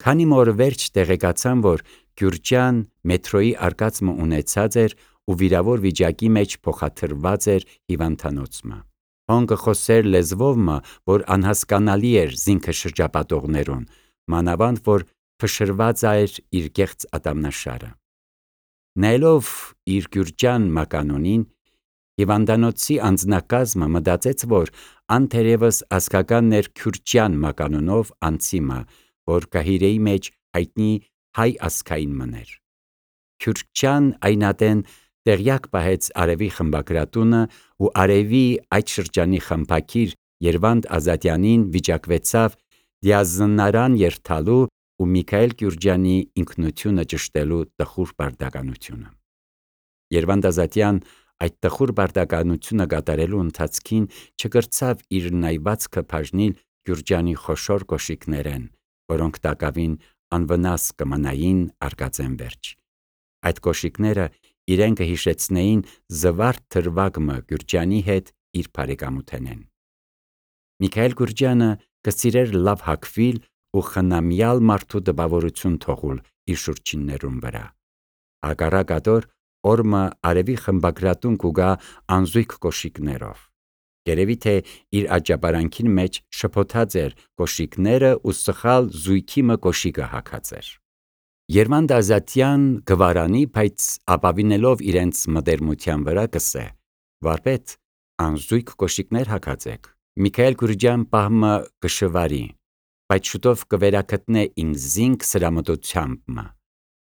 Քանի մոր վերջ տեղեկացան, որ Գյուրջան մետրոյի արկածը ունեցած էր ու վիրավոր վիճակի մեջ փոխադրված էր հիվանդանոցը։ Հոնգը խոսեր լեզվովը, որ անհասկանալի էր զինքը շրջապատողներուն, մանավանդ որ փշրված էր իր կեղծ ատամնաշարը։ Նայելով իր Գյուրջան մականունին, հիվանդանոցի անձնակազմը մտածեց, որ ան թերևս ազգականն էր Քյուրչյան մականունով անձիմը, որ գահիրեի մեջ հայտնի հայ ազգային մներ։ Քյուրչյան այնատեն տեղյակ պահեց արևի խմբագրատունը ու արևի այդ շրջանի խմբակիր Երվանդ Ազատյանին վիճակվեցավ դիազնարան երթալու ու Միքայել Գյուրջյանի ինքնությունը ճշտելու տխուր բարդականությունը։ Երվանդ Ազատյան այդ տխուր բարդականությունը կատարելու ընթացքին չկրցավ իր նայվածքը բաժնել Գյուրջյանի խոշոր կոշիկներեն, որոնք տակավին անվնաս կմնային արկածեն վերջ։ Այդ կոշիկները իրեն կհիշեցնեին զվարթ թրվագմը Գյուրջյանի հետ իր բարեկամութենեն։ Միքայել Գյուրջյանը կսիրեր լավ հագվել ու խնամյալ մարդու տպավորություն թողել իր շուրջիններուն վրա։ Հակառակատոր օրմը արևի խմբագրատուն կուգա անզույգ կոշիկներով։ Երևի թե իր աճապարանքին մեջ շփոթած էր կոշիկները ու սխալ զույգի կոշիկը հագած էր։ Երվանդ Ազատյան գվարանի, բայց ապավինելով իրենց մտերմության վրա կսե. «Վարպետ, անզույգ կոշիկներ հագած եք, Միքայել Գյուրջյան պահմը կշվարի, բայց շուտով կվերակտնե ինձ զինք սրամտությամբ։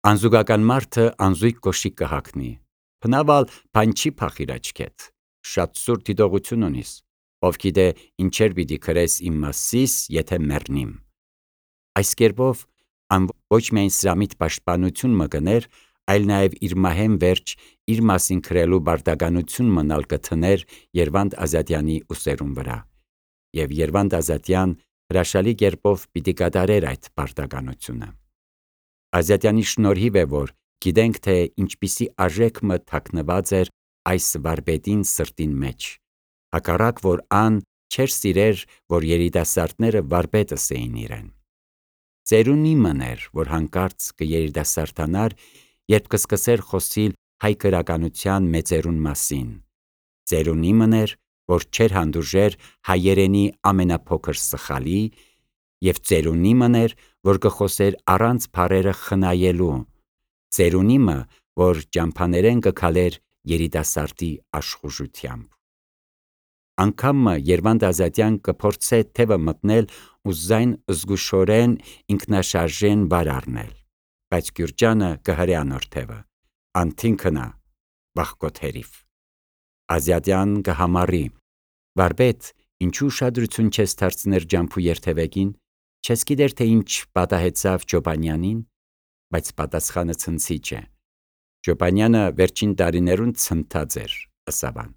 Անզուգական մարդը անզույգ կոշիկ կհագնի, փնավալ բան չի փախիր աչքետ, շատ սուր դիտողություն ունիս, ով գիտե ինչեր պիտի գրես իմ մասիս, եթե մեռնիմ»։ Այս կերպով ան ոչ միայն սրամիտ պաշտպանություն մկներ, այլ նաև իր մահեն վերջ իր մասին գրելու բարդականություն մնալ կթներ Երվանդ Ազատյանի ուսերուն վրա։ Եվ Երվանդ Ազատյան հրաշալի կերպով պիտի կատարեր այդ բարդականությունը։ Ազատյանի շնորհիվ է, որ գիտենք, թե ինչպիսի արժեքմը թաքնված էր այս վարպետին սրտին մեջ, հակառակ որ ան չէր սիրեր, որ երիտասարդները վարպետը սեին իրեն։ Ծերունի մներ, որ հանկարծ կերիտասարդանար, երբ կսկսեր խոսիլ հայ գրականության մեծերուն մասին։ Ծերունի մներ, որ չէր հանդուրժեր հայերենի ամենափոքր սխալի, և ծերունի մներ, որ կխոսեր առանց բառերը խնայելու, ծերունի մը, որ ճամփաներեն կքալեր երիտասարդի աշխուժությամբ։ Անգամը Երվանդ Ազատյան կփորձե թևը մտնել ու զայն զգուշորեն ինքնաշարժեն վար առնել, բայց Գյուրջյանը կհրե անոր թևը, անթին քնա, վախկոտ հերիվ։ Ազատյան կհամառի. «Վարպետ, ինչու ուշադրություն չես դարձներ ջամփու երթևեկին, չես գիտեր, թե ինչ պատահեցավ Չոբանյանին»։ Բայց պատասխանը ցնցիչ է։ Չոբանյանը վերջին տարիներուն ցնդած էր, ըսավան։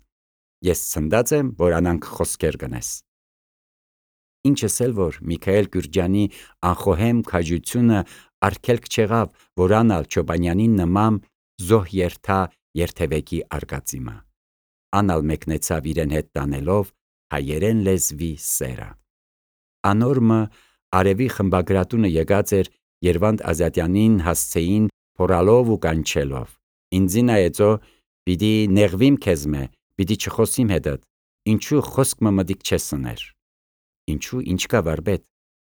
Ես ցնդած եմ, որ անանք խոսքեր գնես։ Ինչս էլ որ Միքայել Գյուրջյանի անխոհեմ քաջությունը արգելք չեղավ, որ անալ Չոբանյանին նման զոհ երթա երթևեկի արկածիմը։ Անալ մեկնեցավ իրեն հետ տանելով հայերեն լեզվի սերը։ Անորմը արևի խմբագրատունը եկած էր Երվանդ Ազատյանին հասցեին փորալով ու կանչելով. «Ինձի նայեցո, պիտի նեղվիմ քեզմե, պիտի չխոսիմ հետդ, ինչու խոսքմը մտիկ չես ըներ»։ Ինչու, ինչ կա վարպետ,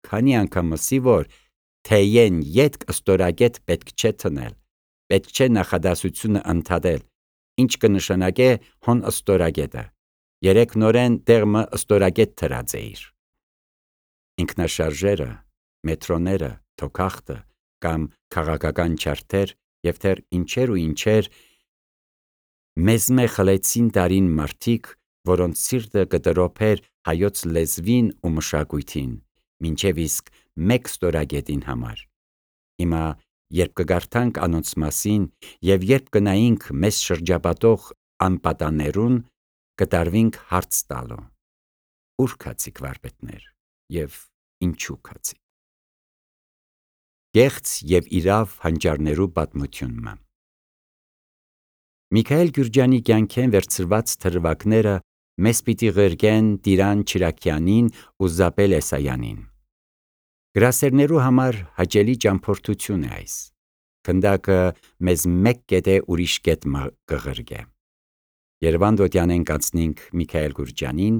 քանի անգամ մսի, որ թեյեն ետք ստորագետ պետք չէ թնել, պետք չէ նախադասությունը ընդհատել, ինչ կնշանակե հոն ստորագետը, երեք նորեն տեղմը ստորագետ թրած էիր։ Ինքնաշարժերը, մետրոները, թոքախտը կամ քաղաքական չարթեր և թեր ինչեր ու ինչեր մեզմե խլեցին տարին մարդիկ, որոնց սիրտը կտրոփեր հայոց լեզվին ու մշակույթին, մինչև իսկ մեկ ստորագետին համար։ Հիմա երբ կգարթանք անոնց մասին և երբ կնայինք մեզ շրջապատող անպատաներուն, կտարվինք հարց տալու. «Ուր քացիք վարպետներ և ինչու քացիք»։ Կեղծ և իրավ հանճարներու պատմությունը։ Միքայել Գյուրջյանի կյանքեն վերցրված թրվակները մեզ պիտի ղրկեն Տիրան Չիրաքյանին ու Զաբել Էսայանին։ Գրասերներու համար հաճելի ճամփորդություն է այս։ Քնդակը մեզ մեկ կետե ուրիշ կետ կղրգե։ Երևան դոտյանեն կանցնինք Միքայել Գուրջանին,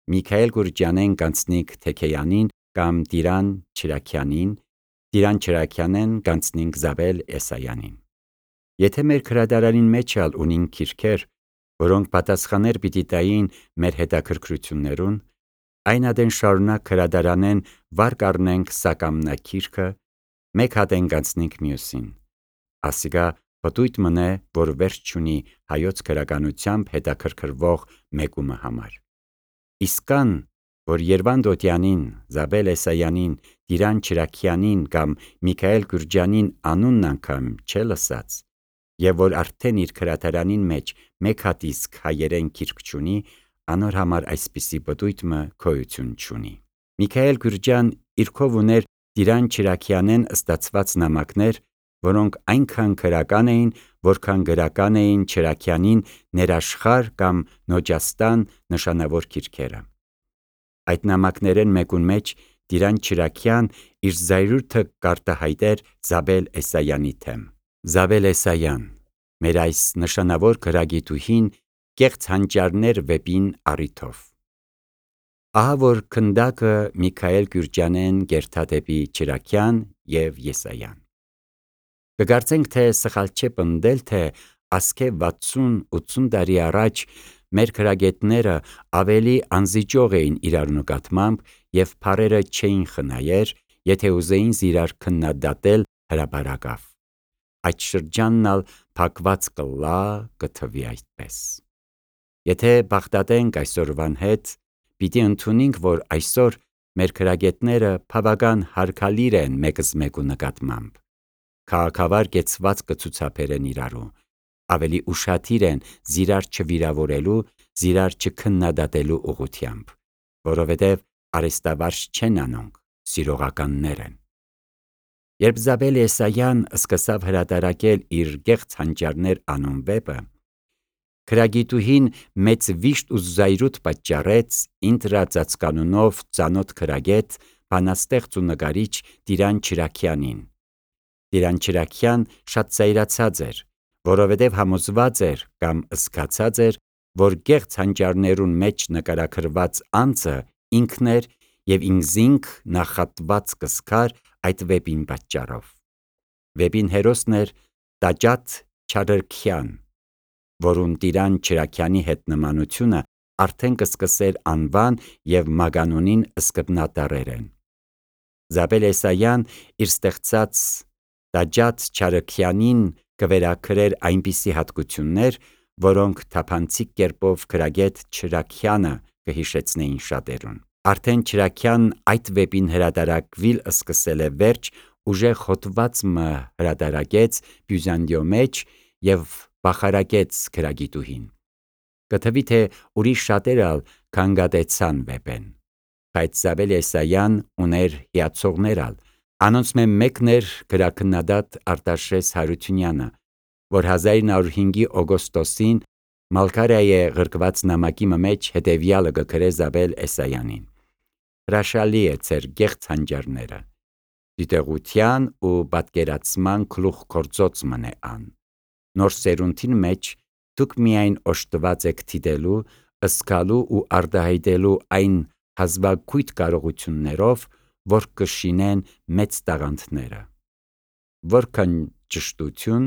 Միքայել Գուրջանեն կանցնինք Թեքեյանին կամ Տիրան Չիրաքյանին, Տիրան Չիրաքյանեն կանցնինք Զաբել Էսայանին։ Եթե մեր քրադարանին մեջ ալ ունին քիրքեր, որոնք պատասխաներ պիտի տային մեր հետաքրքրություններուն, այն ադեն շարունակ քրադարանեն վար կառնենք սակամնակիրքը, մեկ հատեն կանցնենք մյուսին։ Ասիկա պտույտ մնե, որ վերջ չունի հայոց քրականությամբ հետաքրքրվող մեկումը համար։ Իսկ կան, որ Երվան Դոտյանին, Զաբել Էսայանին, Տիրան Չիրաքյանին կամ Միքայել Գուրջանին անունն անգամ չէ լսած, եւ որ արդեն իր քրադարանին մեջ մեկ հատ իսկ հայերեն քիրք չունի, անոր համար այսպիսի պտույտը գոյություն չունի։ Միքայել Գուրջան իրքով ուներ Տիրան Չիրաքյանեն ստացված նամակներ, որոնք այնքան քրական էին, որքան գրական էին Չիրաքյանին ներաշխար կամ Նոջաստան նշանավոր քիրքերը։ Այդ նամակներեն մեկուն մեջ Տիրան Չիրաքյան իր զայրույթը կարտահայտեր Զաբել Էսայանի թեմ։ Զաբել Էսայան, մեր այս նշանավոր գրագիտուհին կեղծ հանճարներ վեպին առիթով։ Ահա որ քնդակը Միքայել Գուրջանեն գերթադեպի Չիրաքյան եւ Եսայան։ Կգարցենք, թե սխալ չէ պնդել, թե ասկե 60-80 տարի առաջ մեր քրագետները ավելի անզիջող էին իրար նկատմամբ եւ փարերը չէին խնայեր, եթե ուզեին զիրար քննադատել հրաբարակավ։ Այդ շրջանն ալ փակված կլա կթվի այդպես։ Եթե բախտատենք այսօրվան հետ, պիտի ընդունենք, որ այսօր մեր քրագետները բավական հարգալիր են մեկս մեկու նկատմամբ։ Քաղաքավար կեցված կցուցաբերեն իրարու, ավելի ուշադիր են զիրար չվիրավորելու, զիրար չքննադատելու ուղղությամբ, որովհետև արեստավարժ չեն անոնք, սիրողականներ են։ Երբ Զաբել Էսայան սկսավ հրատարակել իր գեղց հանճարներ անուն վեպը, քրագիտուհին մեծ վիշտ ու զայրույթ պատճառեց ինտրա ծածկանունով ծանոթ քրագետ, բանաստեղծ ու նկարիչ Տիրան Չիրաքյանին։ Տիրան Չիրաքյան շատ զայրացած էր, որովհետև համոզված էր կամ զգացած էր, որ գեղց հանճարներուն մեջ նկարագրված անձը ինքն էր եւ ինքզինք նախատված կսկար այդ վեպին պատճառով։ Վեպին հերոսն էր Տաճատ Չարրքյան, որուն Տիրան Չիրաքյանի հետ նմանությունը արդեն կսկսեր անվան եւ մագանունին սկզբնատառերեն։ Զաբել Էսայան իր ստեղծած Տաճատ Չարրքյանին կվերագրեր այնպիսի հատկություններ, որոնք թափանցիկ կերպով քրագետ Չիրաքյանը կհիշեցնեին շատերուն։ Արդեն Չիրաքյանն այդ վեպին հրատարակվել սկսել է վերջ, ուժեղ հոդված հրատարակեց Բյուզանդիո մեջ եւ բախարակեց քրագիտուհին։ Կթվի թե ուրիշ շատեր ալ քանգատեցան վեպեն, բայց Զաբել Էսայան ուներ հիացողներ ալ։ Անոնց մեկն էր գրաքննադատ Արտաշես Հարությունյանը, որ 1905-ի օգոստոսին Մալքարիայե ղրկված նամակի մեջ հետևյալը գրե Զաբել Էսայանին. հրաշալի է ձեր գեղց հանճարները, դիտողության ու պատկերացման գլուխ գործոց մնե ան։ Նոր սերունդին մեջ դուք միայն օժտված եք դիտելու, ըսկալու ու արտահայտելու այն հազվագույթ կարողություններով, որ կշինեն մեծ տաղանդները։ Որքան ճշտություն,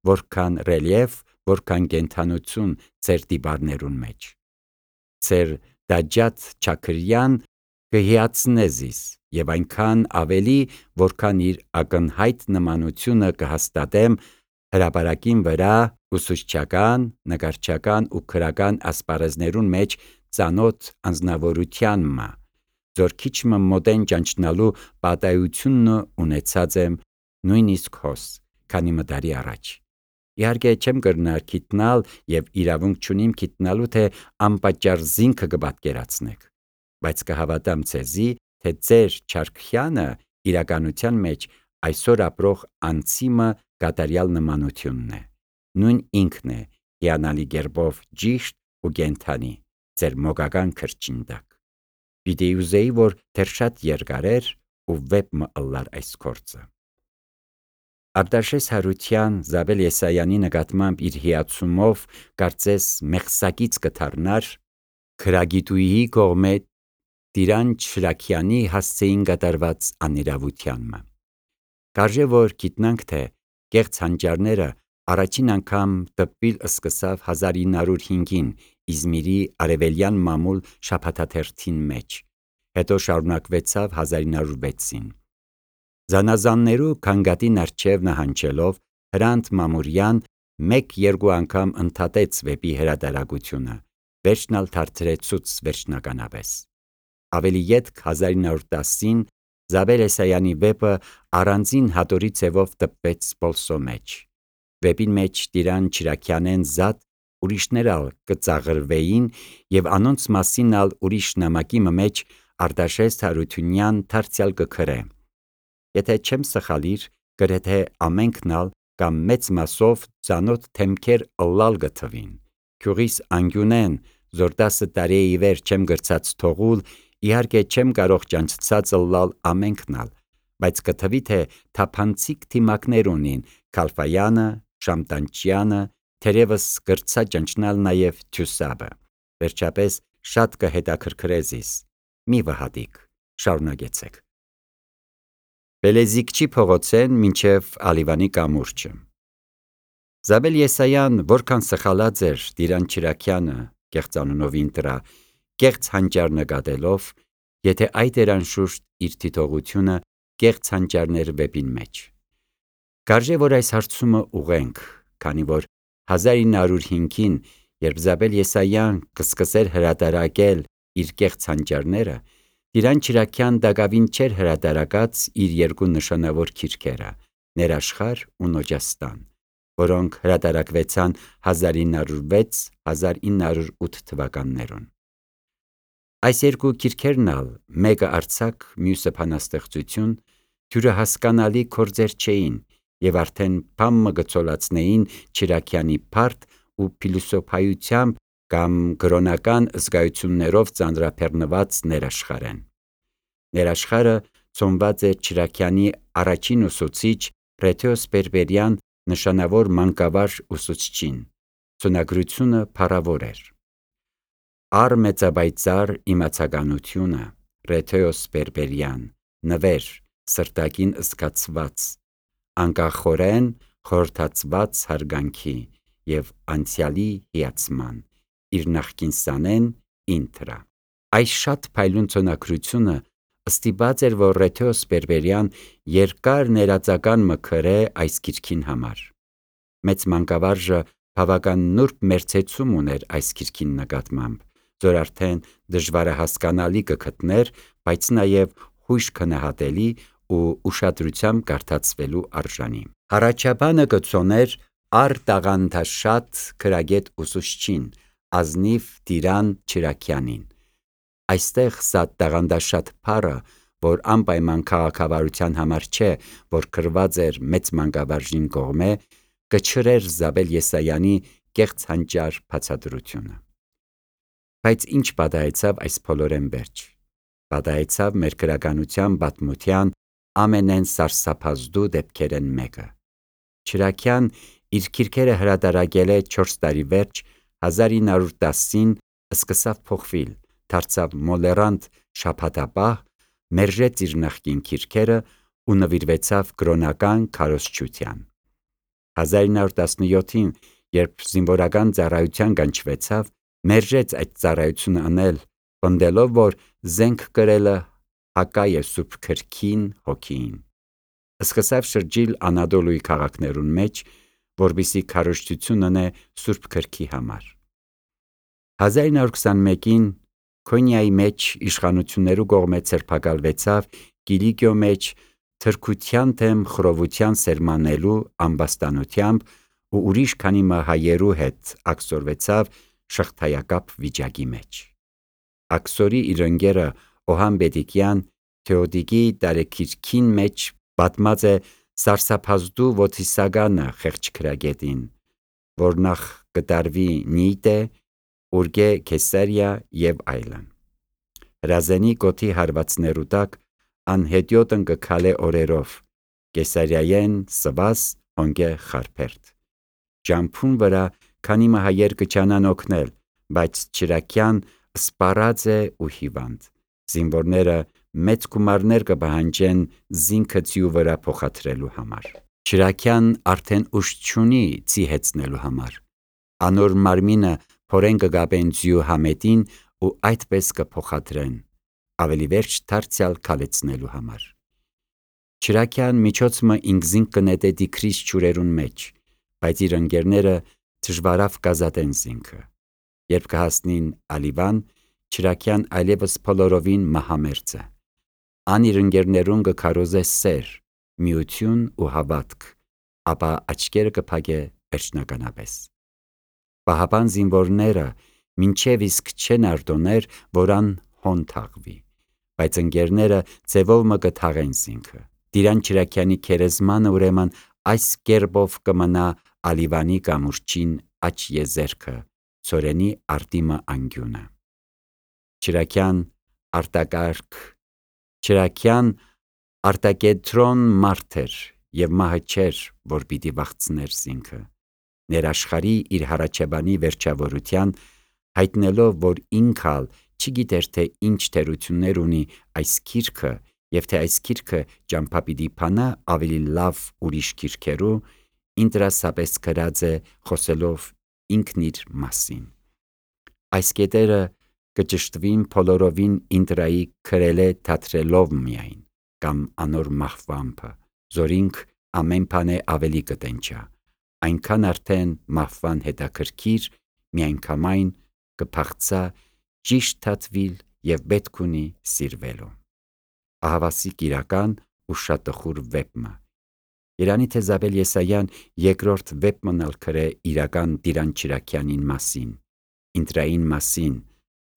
որքան ռելիեֆ, որքան կենթանություն ձեր դիպարներուն մեջ։ Ձեր Տաճատ Չարրքյան կհիացնե զիս եւ այնքան ավելի, որքան իր ակնհայտ նմանությունը կհաստատեմ հրապարակին վրա ուսուցչական, նկարչական ու քրական ասպարեզներուն մեջ ծանոթ անձնավորության ձոր քիչ մոտեն ճանչնալու պատահությունն ունեցած եմ նույնիսկ հոս, քանի մտարի առաջ։ Իհարկե չեմ կրնար գիտնալ եւ իրավունք չունիմ գիտնալու, թե անպատճառ զինքը կպատկերացնեք, բայց կհավատամ ձեզի, թե ձեր Չարրքյանը իրականության մեջ այսօր ապրող անձիմը կատարյալ նմանությունն է։ Նույն ինքն է հիանալի գերբով ճիշտ ու կենթանի, ձեր մոգական քրճին տակ։ Պիտի ուզեի, որ դեռ շատ երկար էր ու վեպ մը ըլլար այս կորձը։ Արտաշես Հարության Զաբել Եսայանի նկատմամբ իր հիացումով կարծես մեղսակից կդառնար քրագիտուհի կողմէ Տիրան Շրաքյանի հասցեին կատարված անիրավությանմը։ Կարժե որ գիտնանք, թե կեղծ հանճարները առաջին անգամ տպվել սկսավ 1905-ին Իզմիրի արևելյան մամուլ շաբաթաթերթին մեջ, հետո շարունակվեցավ 1906-ին։ Զանազաններու քանգատին առջև նահանջելով Հրանտ Մամուրյան 1-2 անգամ ընդհատեց վեպի հրատարակությունը, վերջնալ թարթրեցուց վերջնականապես։ Ավելի ետք 1910-ին Զաբել Եսայանի վեպը առանձին հատորի ձևով տպվեց Պոլսո մեջ։ Վեպին մեջ Տիրան Չիրաքյանեն զատ ուրիշներ ալ կծաղրվեին եւ անոնց մասին ալ ուրիշ նամակի մեջ Արտաշես Հարությունյան դարձյալ կգրե։ Եթե չեմ սխալիր, գրեթե ամենքն ալ կամ մեծ մասով ծանոթ թեմքեր ըլլալ գթվին։ Քյուղիս անգյունեն, զոր 10 տարի ի վեր չեմ գրծած թողուլ, իհարկե չեմ կարող ճանչցած ըլլալ ամենքն ալ, բայց կթվի թե թափանցիկ թիմակներ ունին Քալֆայանը, Շամտանչյանը, թերևս գրծա ճանչնալ նաև Թյուսաբը։ Վերջապես շատ կհետաքրքրեզիս։ Մի վհատիկ, շարունակեցեք։ Բելեզիկչի փողոցեն մինչև Ալիվանի կամուրջը։ Զաբել Եսայան որքան սխալած էր Տիրան Չիրաքյանը կեղծանունով ինտրա, կեղծ հանճար նկատելով, եթե այդ էր անշուշտ իր թիթողությունը կեղծ հանճարներ վեպին մեջ։ Կարժե որ այս հարցումը ուղենք, քանի որ 1905-ին, երբ Զաբել Եսայան կսկսեր հրատարակել իր կեղծ հանճարները, Տիրան Չիրաքյան դակավին չէր հրատարակած իր երկու նշանավոր քիրքերը՝ Ներաշխար ու Նոջաստան, որոնք հրատարակվեցան 1906-1908 թվականներուն։ Այս երկու քիրքերն ալ, մեկը արձակ, մյուսը բանաստեղծություն, թյուրը հասկանալի գործեր չէին եւ արդեն բամը գծոլացնեին Չիրաքյանի բարդ ու փիլիսոփայությամբ կամ գրոնական զգայություններով ծանրաբեռնված ներաշխարեն։ Ներաշխարը ծնված է Չիրաքյանի առաջին ուսուցիչ Ռեթեոս Բերբերյան նշանավոր մանկավար ուսուցչին, ծնագրությունը փառավոր էր։ Առ մեծաբայծար իմացականությունը Ռեթեոս Բերբերյան, նվեր, սրտակին զգացված, անկախորեն խորհրդացված հարգանքի և անցյալի հիացման, իր նախկին սանեն ինտրա։ Այս շատ փայլուն ծնագրությունը ստիպած էր, որ Ռեթեոս Բերբերյան երկար ներածական մը գրե այս գիրքին համար։ Մեծ մանկավարժը բավական նուրբ մերձեցում ուներ այս գիրքին նկատմամբ, որ արդեն դժվարահասկանալի կգտներ, բայց նաև հույժ քննադատելի ու ուշադրությամբ կարդացվելու արժանի։ Հառաջաբանը կցոներ առ տաղանդաշատ գրագետ ուսուցչին, ազնիվ Տիրան Չիրաքյանին։ Այստեղ սա տաղանդաշատ բառը, որ անպայման քաղաքավարության համար չէ, որ գրված էր մեծ մանկավարժին կողմէ, կչրեր Զաբել Եսայանի կեղծ հանճար բացատրությունը։ Բայց ինչ պատահեցավ այս բոլորեն վերջ։ Պատահեցավ մեր գրականության պատմության ամենեն սարսափազդու դեպքերեն մեկը։ Չիրաքյան իր քիրքերը հրատարակել է 4 տարի վերջ 1910-ին սկսավ փոխվել, դարձավ մոլերանտ շաբաթապահ, մերժեց իր նախկին քիրքերը ու նվիրվեցավ կրոնական քարոզչության։ 1917-ին, երբ զինվորական ծառայության կանչվեցավ, մերժեց այդ ծառայությունը անել, պնդելով, որ զենք կրելը հակա է Սուրբ Գրքին, հոգիին։ Սկսավ շրջիլ Անադոլուի քաղաքներուն մեջ, որպեսզի քարոզչություն անե Սուրբ Գրքի համար։ 1921-ին Քոնիայի մեջ իշխանություններու կողմէ ձերբակալվեցավ Կիլիկիո մեջ թրքության դեմ խռովության սերմանելու ամբաստանությամբ ու ուրիշ քանի մը հայերու հետ աքսորվեցավ շղթայակապ վիճակի մեջ։ Աքսորի իր ընկերը Օհան Բեդիկյան Թեոդիկի տարեքիրքին մեջ պատմած է սարսափազդու ոտիսագանը խեղճ գրագետին, որ նախ կտարվի Նիիտե, Ուրգե Քեսարիա և այլն։ Հրազենի կոթի հարվածներու տակ անհետյոտն կքալե օրերով, Կեսարիայեն սվաս հոնգե խարփերտ։ Ջամփուն վրա քանի մը հայեր կչանան օգնել, բայց Չրաքյան սպառած է ու հիվանդ։ Զինվորները մեծ գումարներ կպահանջեն զինքը ձիու վրա փոխադրելու համար։ Չրաքյան արդեն ուժ չունի ձի հեծնելու համար։ Անոր մարմինը փորեն կգաբեն ձիու համետին ու այդպես կփոխադրեն, ավելի վերջ դարձյալ քալեցնելու համար։ Չրաքյան միջոցը ինքզին կնետե դիքրիս ջուրերուն մեջ, բայց իր ընկերները դժվարավ կազատեն զինքը։ Երբ կհասնին Ալիվան, Չրաքյան այլևս փոլորովին մահամերձ է։ Ան իր ընկերներուն կքարոզե սեր, միություն ու հավատք, ապա աչքերը կփակե վերջնականապես։ Պահապան զինվորները մինչև իսկ չեն արտոներ, որ ան հոն թաղվի, բայց ընկերները ձևով մը կթաղեն զինքը։ Տիրան Չրաքյանի քերեզմանը ուրեմն այս կերպով կմնա Ալիվանի կամուրջին աչ եզերքը, ծորենի արտիմը անգյունը։ Չրաքյան արտակետրոն մարդ էր և մահը չէր, որ պիտի վախցներ զինքը։ Ներաշխարի իր հառաջաբանի վերջավորության, հայտնելով, որ ինքալ չգիտեր, թե ինչ թերություններ ունի այս գիրքը, և թե այս գիրքը ճամփա պիտի փանա ավելի լավ ուրիշ գիրքերու, ինտրասապես գրած է խոսելով ինքն իր մասին։ Այս կետերը կճշտվին բոլորովին ինտրայի գրել է թատրելով միայն, կամ անոր մահվամբը, զորինք ամեն բան է ավելի կտենչա, այնքան արդեն մահվան հետաքրքիր, միանգամայն կփախցա ճիշտ թատվիլ և պետք ունի սիրվելու։ Ահավասիկ իրական ու շատ տխուր վեպը։ Երանի թե Զաբել Եսայան երկրորդ վեպն ալ գրե իրական Տիրան Չրաքյանին մասին, ինտրային մասին,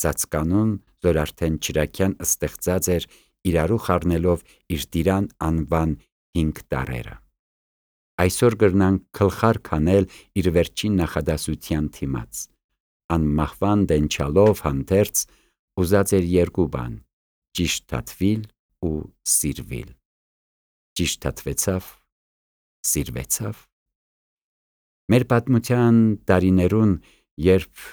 ծածկանուն, որ արդեն Չրաքյան ստեղծած էր իրարու խառնելով իր Տիրան անվան 5 տարրերը։ Այսօր կրնանք գլխար քանել իր վերջին նախադասության թիմաց։ Ան մահվան դենչալով հանդերձ ուզած էր երկու բան՝ ճիշտ թատվիլ ու սիրվիլ։ Ճիշտ թատվեցավ, սիրվեցավ։ Մեր պատմության տարիներուն, երբ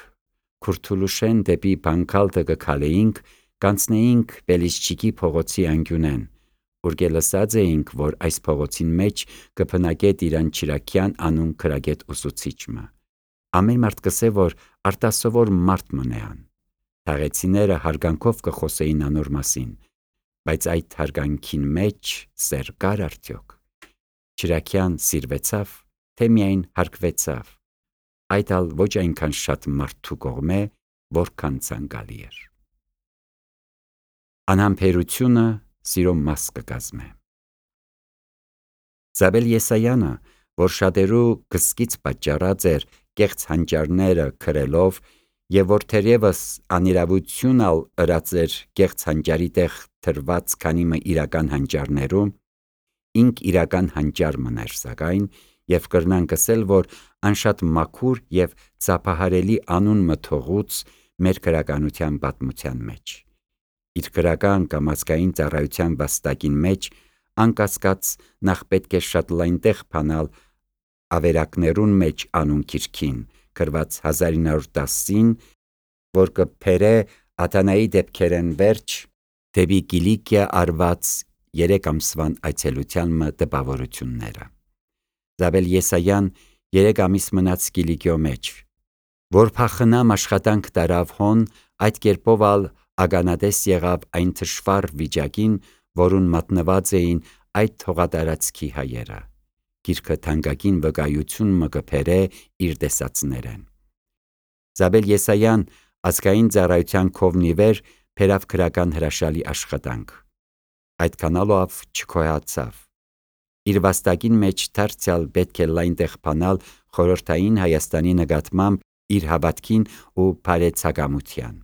Քուրթուլուշեն դեպի Բանկալտը կքալեինք, կանցնեինք Բելիզջիկի փողոցի անկյունեն, ուր լսած էինք, որ այս փողոցին մեջ կփնակե Տիրան Չրաքյան անուն գրագետ ուսուցիչը։ Ամեն մարդ կսե, որ արտասովոր մարդ մնեան։ Թաղեցիները հարգանքով կխոսեին անոր մասին, բայց այդ հարգանքին մեջ սեր կար արդյոք։ Չրաքյան սիրվեցավ, թե միայն հարգվեցավ, այդ ալ ոչ այնքան շատ մարդու կողմէ, որքան ցանկալի էր։ Անհամբերությունը սիրո մաս կկազմե։ Զաբել Եսայանը, որ շատերու կսկից պատճառած էր կեղծ հանճարները գրելով, և որ թերևս անիրավություն ալ ըրած էր կեղծ հանճարի տեղ թրված քանի մը իրական հանճարներու, ինք իրական հանճար մներ սակայն, և կրնանք ասել, որ անշատ մաքուր և ծափահարելի անուն մթողուց մեր գրականության պատմության մեջ։ Իր գրական կամ ազգային ծառայության վաստակին մեջ, անկասկած, նախ պետք է շատ լայն տեղ փանալ ավերակներուն մեջ անուն գիրքին, գրված 1910-ին, որ կբերե Աթանայի դեպքերեն վերջ դեպի Կիլիկիա արված 3 ամսվան այցելության մը տպավորությունները։ Զաբել Եսայան 3 ամիս մնաց Կիլիկիո մեջ, որ փախնամ աշխատանք տարավ հոն, այդ կերպով ալ ականատես եղավ այն թշվառ վիճակին, որուն մատնված էին այդ հողատարածքի հայերը։ Գիրքը թանկագին վկայություն մը կբերե իր տեսածներեն։ Զաբել Եսայան ազգային ծառայության քովնի վեր բերավ գրական հրաշալի աշխատանք։ Այդքանալով չքոյացավ։ Իր վաստակին մեջ դարձյալ պետք է լայն տեղ փանալ խորհրդային Հայաստանի նկատմամբ իր հավատքին ու բարեցակամության։